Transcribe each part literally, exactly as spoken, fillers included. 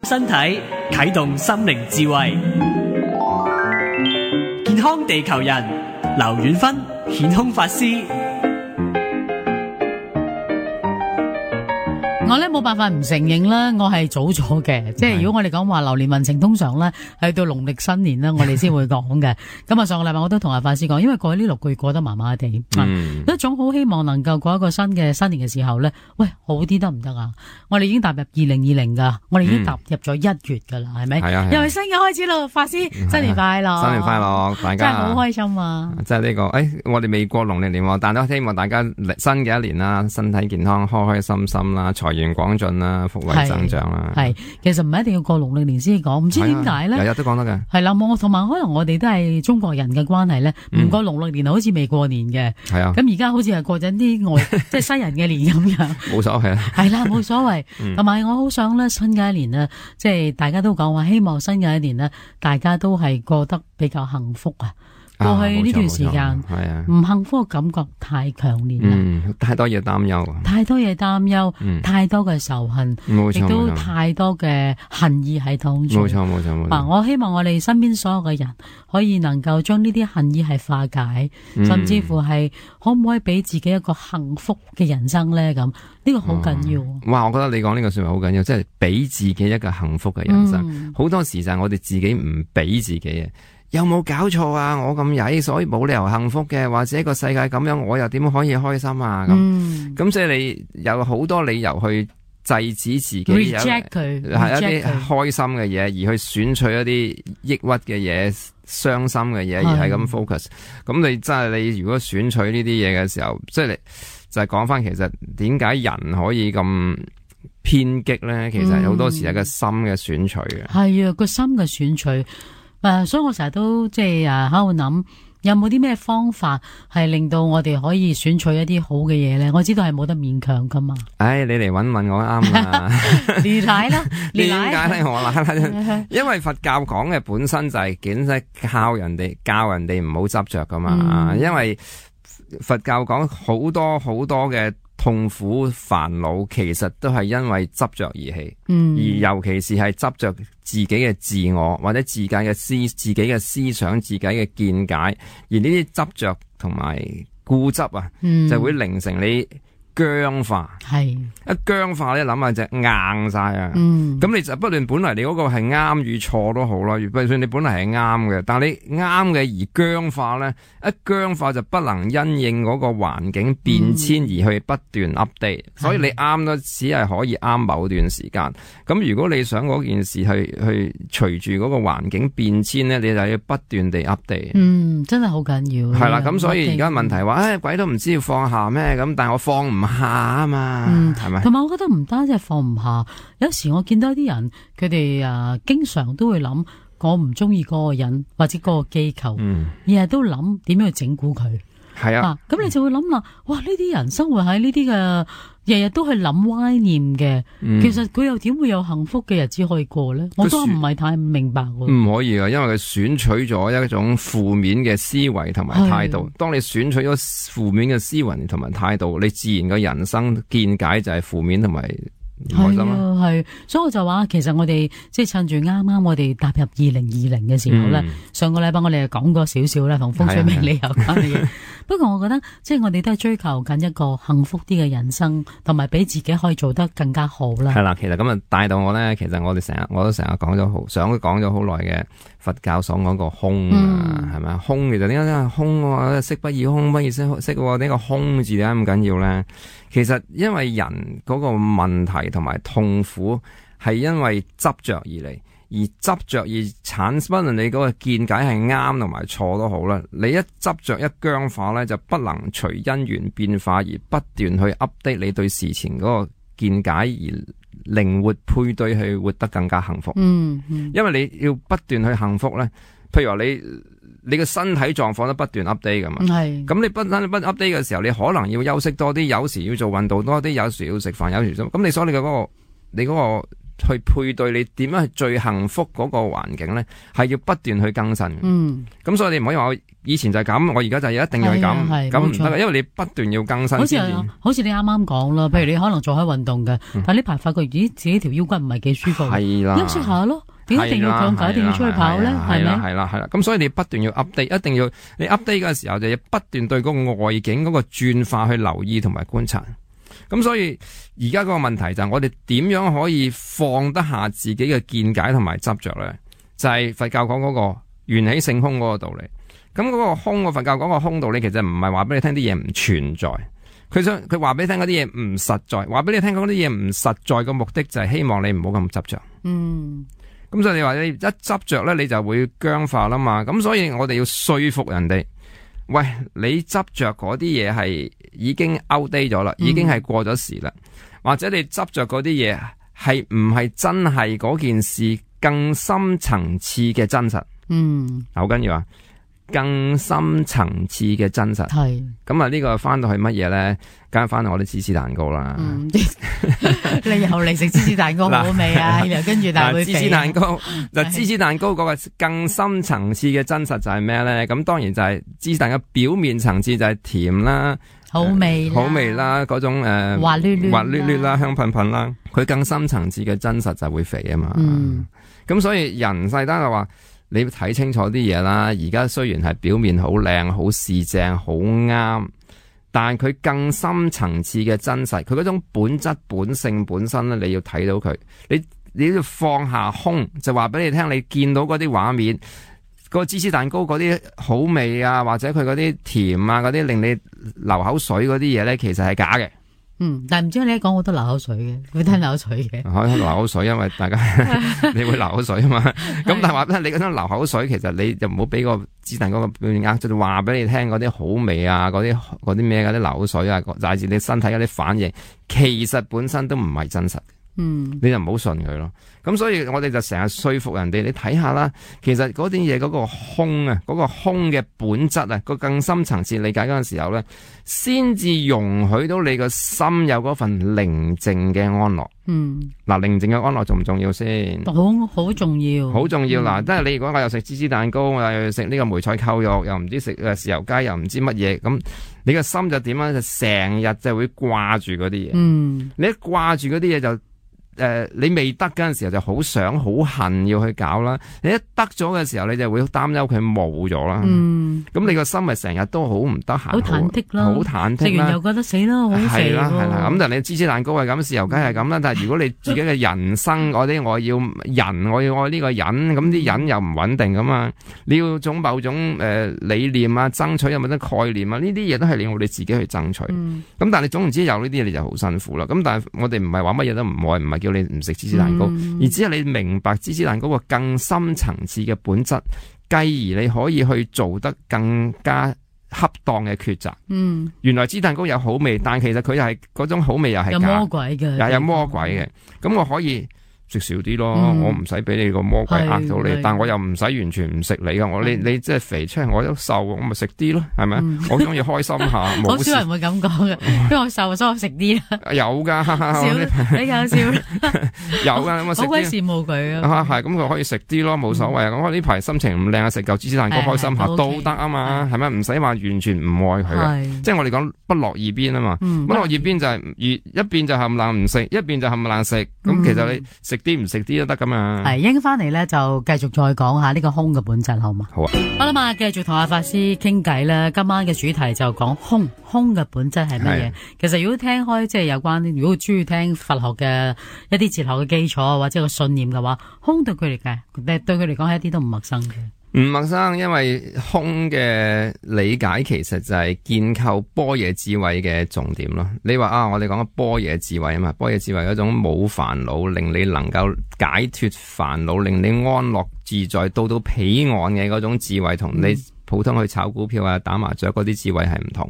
身體啟動心靈智慧，健康地球人劉遠芬顯空法師。我咧冇辦法唔承認啦，我係早咗嘅，即係如果我哋講話流年運程，通常咧係到農曆新年啦，我哋先會講嘅。咁啊，上個禮拜我都同阿法師講，因為過去呢六個月過得麻麻地，嗯，一種好希望能夠過一個新嘅新年嘅時候咧，喂，好啲得唔得啊？我哋已經踏入二零二零噶，我哋已經踏入咗一月噶啦，係咪？係啊，又係新嘅開始咯，法師，新年快樂，新年快樂，大家真係好開心啊！即係呢個，誒，我哋未過農曆年，但都希望大家新嘅一年啦，身體健康，開開心心啦，財源廣進啦，福慧增長啦。係，其實唔係一定要過農曆年先講，唔知點解咧？日日都講得嘅。係啦，我同埋可能我哋都係中國人嘅關係咧，唔、嗯、過農曆年好似未過年嘅。係啊。咁而家好似係過緊啲外，即係西人嘅年咁樣。冇所謂啊。係啦，冇所謂。同埋、嗯、我好想咧，新嘅一年咧，即係大家都講話，希望新嘅一年咧，大家都係過得比較幸福啊。過去呢段時間，唔幸福嘅感覺太強烈啦、嗯，太多嘢擔憂，太多嘢擔憂，嗯、太多嘅仇恨，亦都太多嘅恨意喺當中。冇錯冇錯冇錯。嗱，我希望我哋身邊所有嘅人可以能夠將呢啲恨意係化解，嗯、甚至乎係可唔可以俾自己一個幸福嘅人生咧？咁呢、呢個好緊要、哦。哇！我覺得你講呢個說話好緊要，即係俾自己一個幸福嘅人生。好、嗯、多時就係我哋自己唔俾自己嘅。有冇搞錯啊？我咁曳，所以冇理由幸福嘅，或者個世界咁樣，我又點可以開心啊？咁咁、嗯、所以你有好多理由去制止自己 reject 佢，係一啲開心嘅嘢，而去選取一啲抑鬱嘅嘢、傷心嘅嘢，而係咁 focus。咁你真係你如果選取呢啲嘢嘅時候，即係你就係講翻，其實點解人可以咁偏激咧？其實好多時係個心嘅選取嘅。係、嗯、啊，個心嘅選取。誒、uh，所以我成日都即係誒喺度諗，有冇啲咩方法係令到我哋可以選取一啲好嘅嘢咧？我知道係冇得勉強噶嘛。唉、哎，你嚟搵問我啱啦。你奶啦，點解咧？我啦，因為佛教講嘅本身就係簡直靠人哋教人哋唔好執着噶嘛、嗯。因為佛教講好多好多嘅痛苦煩惱，其實都係因為執着而起。嗯，而尤其是係執着自己嘅自我或者自己嘅思自己嘅思想、自己嘅見解，而呢啲執着同埋固執啊、嗯，就會令成你僵化。係一僵化咧，諗下就硬晒啊。嗯，咁你就不斷本來你嗰個係啱與錯都好啦，就算你本來係啱嘅，但係你啱嘅而僵化咧，一僵化就不能因應嗰個環境變遷而去不斷 update、嗯、所以你啱都只係可以啱某段時間。咁如果你想嗰件事去去隨住嗰個環境變遷咧，你就要不斷地 update。嗯，真係好緊要。係啦，咁所以而家問題話，唉、哎，鬼都唔知要放下咩咁，但係我放唔下啊嘛，係、嗯、咪？同埋我覺得唔單止係放唔下，有時我見到啲人，佢哋啊，經常都會諗，我唔中意嗰個人或者嗰個機構，嗯，日日都諗點樣去整蠱佢。係啊，咁、啊、你就會諗啦，哇！呢啲人生活喺呢啲嘅，日日都係諗歪念嘅、嗯，其實佢又點會有幸福嘅日子可以過咧？我都唔係太明白喎。唔可以啊，因為佢選取咗一種負面嘅思維同埋態度。當你選取咗負面嘅思維同埋態度，你自然嘅人生見解就係負面同埋唔開心啊。係，所以我就話，其實我哋即係趁住啱啱我哋踏入二零二零嘅時候咧、嗯，上個禮拜我哋就講過少少啦，同風水命理有關嘅嘢。不過我覺得，即係我哋都係追求緊一個幸福啲嘅人生，同埋俾自己可以做得更加好啦。係啦，其實咁啊帶到我咧，其實我哋成日我都成日講咗好，想講咗好耐嘅佛教所講個空啊，係、嗯、咪？空其實點解咧？空啊，色不異空，不異色色喎。呢個空字點解咁緊要咧？其實因為人嗰個問題同埋痛苦係因為執着而嚟。而執着而產生，不論你嗰個見解係啱同埋錯都好啦。你一執着一僵化咧，就不能隨因緣變化而不斷去 update 你對事情嗰個見解，而靈活配對去活得更加幸福。嗯，嗯，因為你要不斷去幸福咧，譬如話你你個身體狀況都不斷 update 噶嘛。係。咁你不不 update 嘅時候，你可能要休息多啲，有時要做運動多啲，有時要食飯，有時咁。咁你所以你嘅嗰個你嗰個去配對你點樣係最幸福嗰個環境咧，係要不斷去更新嘅。嗯，咁所以你唔可以話我以前就係咁，我而家就一定要係咁，咁唔得嘅，因為你不斷要更新。好似好似你啱啱講啦，譬如你可能做開運動嘅，嗯、但呢排發覺咦自己條腰骨唔係幾舒服，係啦，休息下咯。點解一定要強解，一定要出去跑咧？係咪？係啦係啦，咁所以你不斷要 update， 一定要你 update 嘅時候就要不斷對嗰個外境嗰個轉化去留意同埋觀察。咁所以而家嗰個問題就係我哋點樣可以放得下自己嘅見解同埋執着咧？就係、是、佛教講嗰個緣起性空嗰個道理。咁嗰個空，個佛教講個空道理，其實唔係話俾你聽啲嘢唔存在，佢想佢話俾你聽嗰啲嘢唔實在，話俾你聽嗰啲嘢唔實在嘅目的就係希望你唔好咁執着。嗯。咁所以你話你一執着咧，你就會僵化啦嘛。咁所以我哋要說服人哋，喂，你執着嗰啲嘢係已經 outdate 咗啦，已經係過咗時啦，嗯、或者你執着嗰啲嘢係唔係真係嗰件事更深層次嘅真實？嗯，好緊要啊！更深層次嘅真實係咁啊！呢個翻到去乜嘢咧？梗係翻到我啲芝士蛋糕啦。嗯，你又嚟食芝士蛋糕好味啊！又跟住但係芝士蛋糕嗱，芝士蛋糕嗰個更深層次嘅真實就係咩咧？咁當然就係芝士蛋糕表面層次就係甜啦，好味，好味啦，嗰種誒滑捋捋、滑捋捋啦，香噴噴啦。佢更深層次嘅真實就會肥啊嘛。嗯，咁所以人世單就話。你睇清楚啲嘢啦，而家雖然係表面好靚、好市正、好啱，但係佢更深層次嘅真實，佢嗰種本質、本性、本身咧，你要睇到佢。你你要放下空，就話俾你聽，你見到嗰啲畫面，個芝士蛋糕嗰啲好味啊，或者佢嗰啲甜啊，嗰啲令你流口水嗰啲嘢咧，其實係假嘅。嗯，但係唔知你一講好多流口水嘅，會聽流口水嘅。可以流口水，因為大家你會流口水啊嘛。咁但係話俾你，你嗰種流口水，其實你就唔好俾個芝士蛋糕個表面呃，就話俾你聽嗰啲好味啊，嗰啲嗰啲咩嗰啲流口水啊，乃至你身體嗰啲反應，其實本身都唔係真實。嗯，你就唔好信佢咯。咁所以我哋就成日說服人哋，你睇下啦，其實嗰啲嘢嗰個空啊，嗰、嗰個空嘅本質啊，個更深層次理解嗰陣時候咧，先至容許到你個心有嗰份寧靜嘅安樂。嗯，嗱，寧靜嘅安樂重唔重要先？好，好重要，好重要嗱。即係、嗯、你如果我又食芝士蛋糕，我又食呢個梅菜扣肉，又唔知食誒豉油雞，又唔知乜嘢，咁你個心就點樣？就成日就會掛住嗰啲嘢。嗯，你一掛住嗰啲嘢就。誒、呃，你未得嗰陣時候就好想好恨要去搞啦，你一得咗嘅時候你就會擔憂佢冇咗啦。嗯，咁你個心咪成日都好唔得閒，好忐忑啦，好忐忑啦，食完又覺得死啦，好肥。係啦係啦，咁但係你芝士蛋糕係咁，豉油雞係咁啦。但係如果你自己嘅人生嗰啲，我要人，我要愛呢個人，咁啲人又唔穩定噶嘛，你要種某種誒、呃、理念啊，爭取有冇得概念啊，呢啲嘢都係你我哋自己去爭取。咁、嗯、但係你總唔知有呢啲嘢你就好辛苦啦。咁但係我哋唔係話乜嘢都唔愛，唔係叫你唔食芝士蛋糕，嗯、而只係你明白芝士蛋糕個更深層次嘅本質，繼而你可以去做得更加恰當嘅抉擇。嗯，原來芝士蛋糕有好味，但其實佢又係嗰種好味又係假，有魔鬼嘅，又有魔鬼嘅。咁、嗯、我可以食少啲咯，嗯、我唔使俾你個魔鬼呃到你，但我又唔使完全唔食你噶。我你你即係肥出嚟，我都瘦，我咪食啲咯，係咪？嗯、我中意開心下，好少人會咁講嘅，因為我瘦，所以我食啲啦。有噶，你搞笑，有噶，咁啊食啲。好鬼羨慕佢啊！係咁，佢可以食啲咯，冇所謂啊。咁我呢排心情唔靚啊，食嚿芝士蛋糕開心下都得啊嘛，係咪？唔使話完全唔愛佢嘅，即係我哋講不落二邊啊嘛。不落二邊就係一一邊就冚唪唥唔食，一邊就冚唪唥食。咁其實你食啲唔食啲都得噶嘛。係，應翻嚟咧就繼續再講下呢個空嘅本質，好嘛？好啊。好啦嘛，繼續同阿法師傾偈啦。今晚嘅主題就講空，空嘅本質係乜嘢？其實如果聽開即係有關，如果中意聽佛學嘅一啲哲學嘅基礎或者個信念嘅話，空對佢嚟計，對佢嚟講係一啲都唔陌生嘅。唔陌生，因為空嘅理解其實就係建構般若智慧嘅重點咯。你話啊，我哋講嘅般若智慧啊嘛，般若智慧嗰種冇煩惱，令你能夠解脫煩惱，令你安樂自在，到到彼岸嘅嗰種智慧，同你普通去炒股票啊、打麻雀嗰啲智慧係唔同。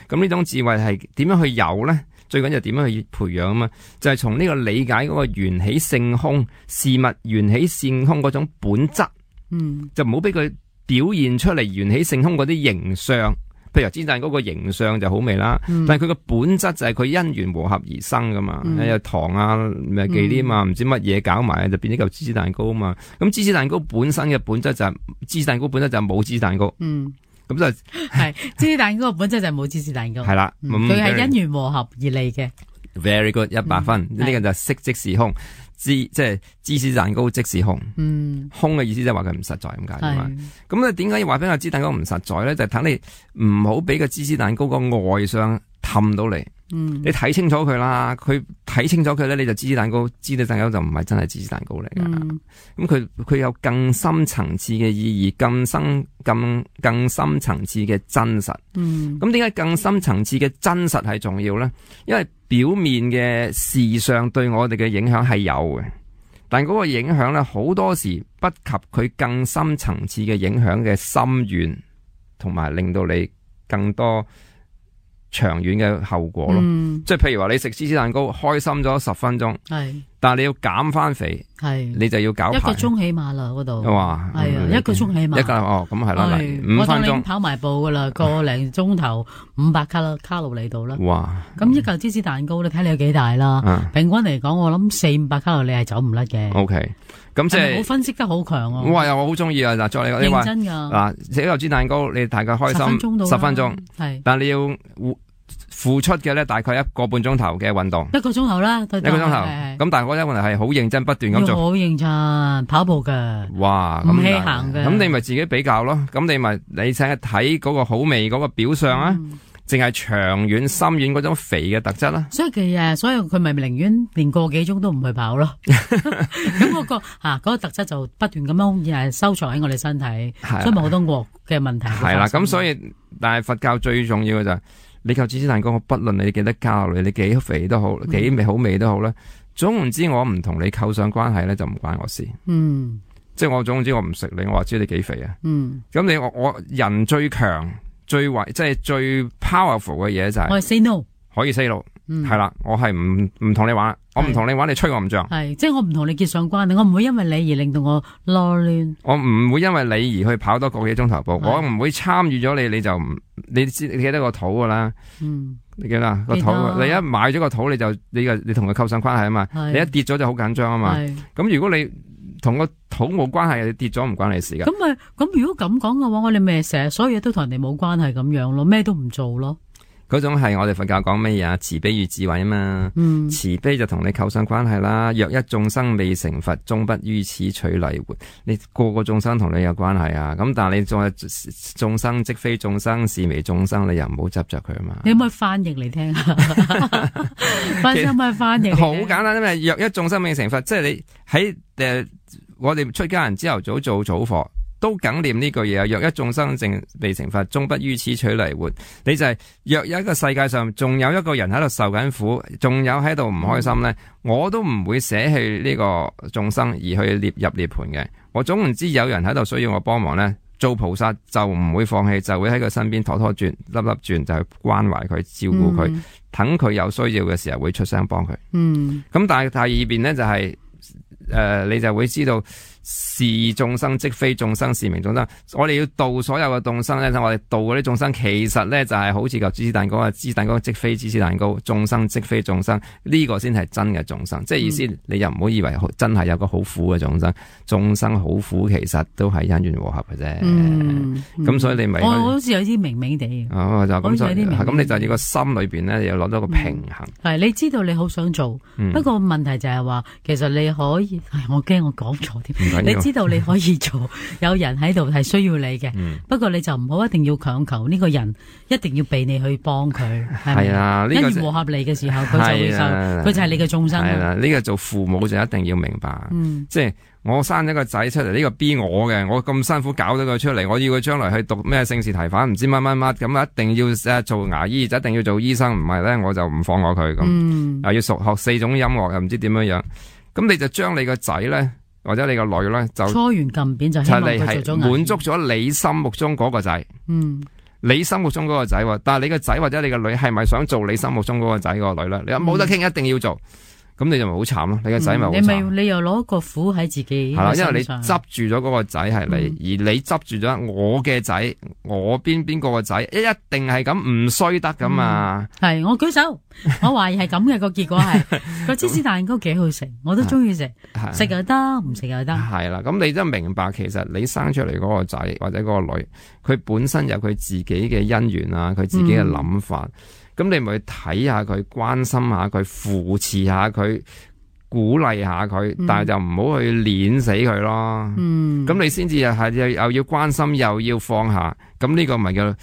咁呢種智慧係點樣去有呢？最緊要點樣去培養啊嘛？就係從呢個理解嗰個緣起性空事物緣起性空嗰種本質。嗯，就唔好俾佢表現出嚟緣起性空嗰啲形象，譬如芝士蛋糕個形象就好味啦，嗯、但係佢個本質就係佢因緣和合而生噶嘛，有、嗯、糖啊、咩忌廉啊、唔、嗯、知乜嘢搞埋就變咗嚿芝士蛋糕啊嘛。咁芝士蛋糕本身嘅本質就係、是、芝士蛋糕本質就係冇芝士蛋糕。嗯。咁就係芝士蛋糕本質就係冇芝士蛋糕。係啦，佢係因緣和合而嚟嘅。Very good， 一百分。呢、嗯、個就係色即是空，芝即係芝士蛋糕即是空。嗯，空嘅意思即係話佢唔實在咁解嘛。咁咧點解要話俾個芝士蛋糕唔實在咧？就係等你唔好俾個芝士蛋糕個外相氹到你。嗯，你睇清楚佢啦，佢睇清楚佢咧，你就芝士蛋糕，芝士蛋糕就唔係真係芝士蛋糕嚟噶。咁佢佢有更深層次嘅意義，更深更更深層次嘅真實。嗯，咁點解更深層次嘅真實係重要咧？因為表面嘅事上對我哋嘅影響係有嘅，但嗰個影響咧好多時不及佢更深層次嘅影響嘅深遠，同埋令到你更多長遠嘅後果咯，嗯、即係譬如話你食芝士蛋糕開心咗十分鐘，係，但係你要減翻肥，係，你就要搞一個鐘起碼啦嗰度，哇，係啊，一個鐘起碼，一個哦，咁係啦，五分鐘跑埋步噶啦，個零鐘頭五百卡啦卡路里度啦，哇，咁一嚿芝士蛋糕你睇你有幾大啦，嗯、平均嚟講我諗四五百卡路里係走唔甩嘅 ，OK。咁即係，我分析得好強啊！哇，又我好中意啊！嗱，再你你話真噶嗱，食一嚿芝士蛋糕，你大概開心十分鐘，係，但係你要付出嘅咧，大概一個半鐘頭嘅運動，一個鐘頭啦，一個鐘頭。咁但係我咧，我哋係好認真不斷咁做，好認真跑步嘅，哇，唔稀行嘅。咁你咪自己比較咯，咁你咪你請睇嗰個好味嗰個表象啊。嗯淨係長遠深遠嗰種肥嘅特質啦，所以其實所以佢咪寧願連個幾鐘都唔去跑咯。咁嗰個吓嗰個特質就不斷咁樣誒收藏喺我哋身體，所以咪好多惡嘅問題。係啦，咁所以但係佛教最重要嘅就係你嚿芝士蛋糕，我不論你幾多卡路里，你幾肥都好，幾味好味都好啦。總言之，我唔同你構上關係咧，就唔關我事。嗯，即係我總之我唔食你，我話知你幾肥啊。嗯，咁你我我人最強。最為即係最 powerful 嘅嘢就係、是、我係 say no，可以 say no，係啦、嗯，我係唔唔同你玩，我唔同你玩，你吹我唔脹，係即係我唔同你結上關係，我唔會因為你而令到我囉亂，我唔會因為你而去跑多個幾鐘頭步，我唔會參與咗你，你就唔你知你記得個肚噶啦，嗯，你記得個肚，你一買咗個肚你就你個你同佢構上關係啊嘛，你一跌咗就好緊張啊嘛，咁如果你同個肚冇關係，你跌咗唔關你事噶。咁咪咁如果咁講嘅話，我哋咪成日所有嘢都同人哋冇關係咁樣咯，咩都唔做咯。嗰種係我哋佛教講咩嘢啊？慈悲與智慧啊嘛。嗯，慈悲就同你構上關係啦。若一眾生未成佛，終不於此取嚟活。你個個眾生同你有關係啊。咁但係你仲係眾生即非眾生，是為眾生，你又唔好執着佢啊嘛。你可唔可以翻譯嚟聽下？翻譯咪翻譯？好簡單，因為若一眾生未成佛，即係你喺誒、呃，我哋出家人朝頭早做早課。都梗念呢句嘢啊！若一眾生正未成佛，終不於此取嚟活。你就係、是、若有一個世界上仲有一個人喺度受緊苦，仲有喺度唔開心咧，嗯、我都唔會捨棄呢個眾生而去列入涅槃嘅。我總唔知有人喺度需要我幫忙咧，做菩薩就唔會放棄，就會喺佢身邊拖拖轉、粒粒轉，就去關懷佢、照顧佢，等佢、嗯、有需要嘅時候會出聲幫佢。嗯，咁但係第二邊咧就係、是、誒、呃，你就會知道。是眾生即非眾生，是名眾生。我哋要度所有嘅眾生咧，我哋度嗰啲眾生，其實咧就係好似嚿芝士蛋糕啊，芝士蛋糕即非芝士蛋糕，眾生即非眾生，呢、這個先係真嘅眾生。即係意思，嗯、你又唔好以為真係有個好苦嘅眾生，眾生好苦，其實都係因緣和合嘅啫。咁、嗯嗯、所以你咪我好似有啲明明地，哦就咁，咁你就要個心裏邊咧，又攞到個平衡。係、嗯、你知道你好想做，嗯、不過問題就係話，其實你可以，我驚我講錯添。你知道你可以做，有人喺度係需要你嘅，嗯、不過你就唔好一定要強求呢個人一定要俾你去幫佢，係咪啊？因緣和合嚟嘅時候，佢就會受，佢就係你嘅眾生。係啦，呢個做父母就一定要明白，嗯、即係我生咗個仔出嚟，呢、這個逼我嘅，我咁辛苦搞咗佢出嚟，我要佢將來去讀咩聖士提反，唔知乜乜乜，咁一定要誒做牙醫，就一定要做醫生，唔係咧我就唔放過佢咁，嗯、又要熟學四種音樂，又唔知點樣樣，咁你就將你個仔咧。或者你個女咧就搓圓撳扁就希望佢做咗滿足咗你心目中嗰個仔，嗯，你心目中嗰個仔，但係你個仔或者你個女係咪想做你心目中嗰個仔嗰個女咧？你話冇得傾，一定要做，咁你就咪好慘咯，你個仔咪好慘。你咪你又攞個苦喺自己。係啦，因為你執住咗嗰個仔係你，嗯、而你執住咗我嘅仔，我邊邊個個仔，一定係咁唔衰得噶嘛。係、嗯，我舉手，我懷疑係咁嘅個結果係個芝士蛋糕幾好食，我都中意食，食又得，唔食又得。係啦，咁你真係明白，其實你生出嚟嗰個仔或者嗰個女，佢本身有佢自己嘅因緣啊，佢自己嘅諗法。嗯咁你咪去睇下佢，關心下佢，扶持下佢，鼓勵下佢，嗯、但係就唔好去碾死佢咯。嗯，咁你先至係又又要關心，又要放下，咁呢個咪叫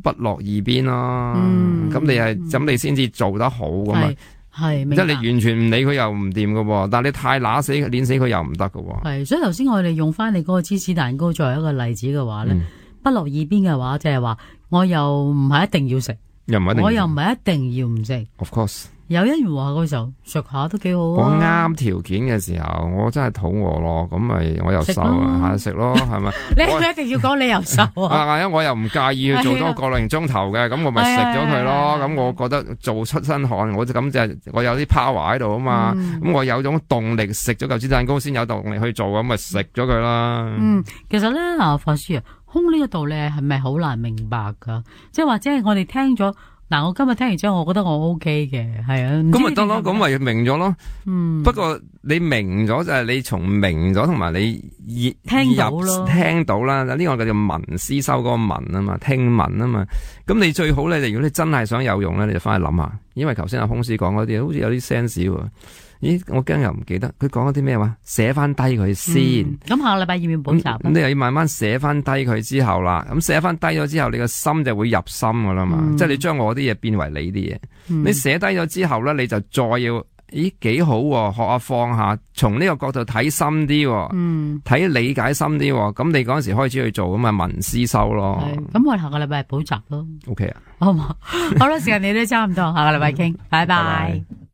不落二邊咯。嗯，咁你係咁你先至做得好噶嘛。係，即係你完全唔理佢又唔掂噶，但係你太乸死碾死佢又唔得噶。係，所以頭先我哋用翻你嗰個芝士蛋糕作為一個例子嘅話咧，嗯、不落二邊嘅話，即係話我又唔係一定要食。又唔一定，我又唔係一定要唔食。Of course，有因緣話嗰時候食下都幾好啊。我啱條件嘅時候，我真係肚餓咯，咁咪我又瘦啊，下食咯，係咪？你係咪一定要講你又瘦啊？啊，我又唔介意去做多個零鐘頭嘅，咁我咪食咗佢咯。咁我覺得做出身汗，我就咁就我有啲 power 喺度啊嘛。咁、嗯、我有種動力，食咗嚿芝士蛋糕先有動力去做，咁咪食咗佢啦。嗯，其實咧，嗱，法師啊。空呢個道理係咪好難明白噶？即係或者係我哋聽咗嗱，我今日聽完之後，我覺得我 O K 嘅，係啊，咁咪得咯，咁咪明咗咯。嗯，不過你明咗就係你從明咗同埋你入聽到咯，聽到啦。呢、這個叫做聞思修嗰個聞啊嘛，聽聞啊嘛。咁你最好咧，如果你真係想有用咧，你就翻去諗下。因為頭先阿空師講嗰啲，好似有啲 sense 喎。咦，我驚又唔記得，佢講咗啲咩話？寫翻低佢先。咁、嗯、下個禮拜要唔要補習？咁你又要慢慢寫翻低佢之後啦。咁寫翻低咗之後，你個心就會入心噶啦嘛。嗯、即係你將我啲嘢變為你啲嘢。嗯、你寫低咗之後咧，你就再要，咦幾好、啊，學下放下，從呢個角度睇深啲、啊，睇、嗯、理解深啲。咁你嗰陣時開始去做咁啊，文思修咯。咁我哋下個禮拜係補習咯。O K 啊，好唔好？好啦，時間你都差唔多，下個禮拜傾，拜拜。拜拜。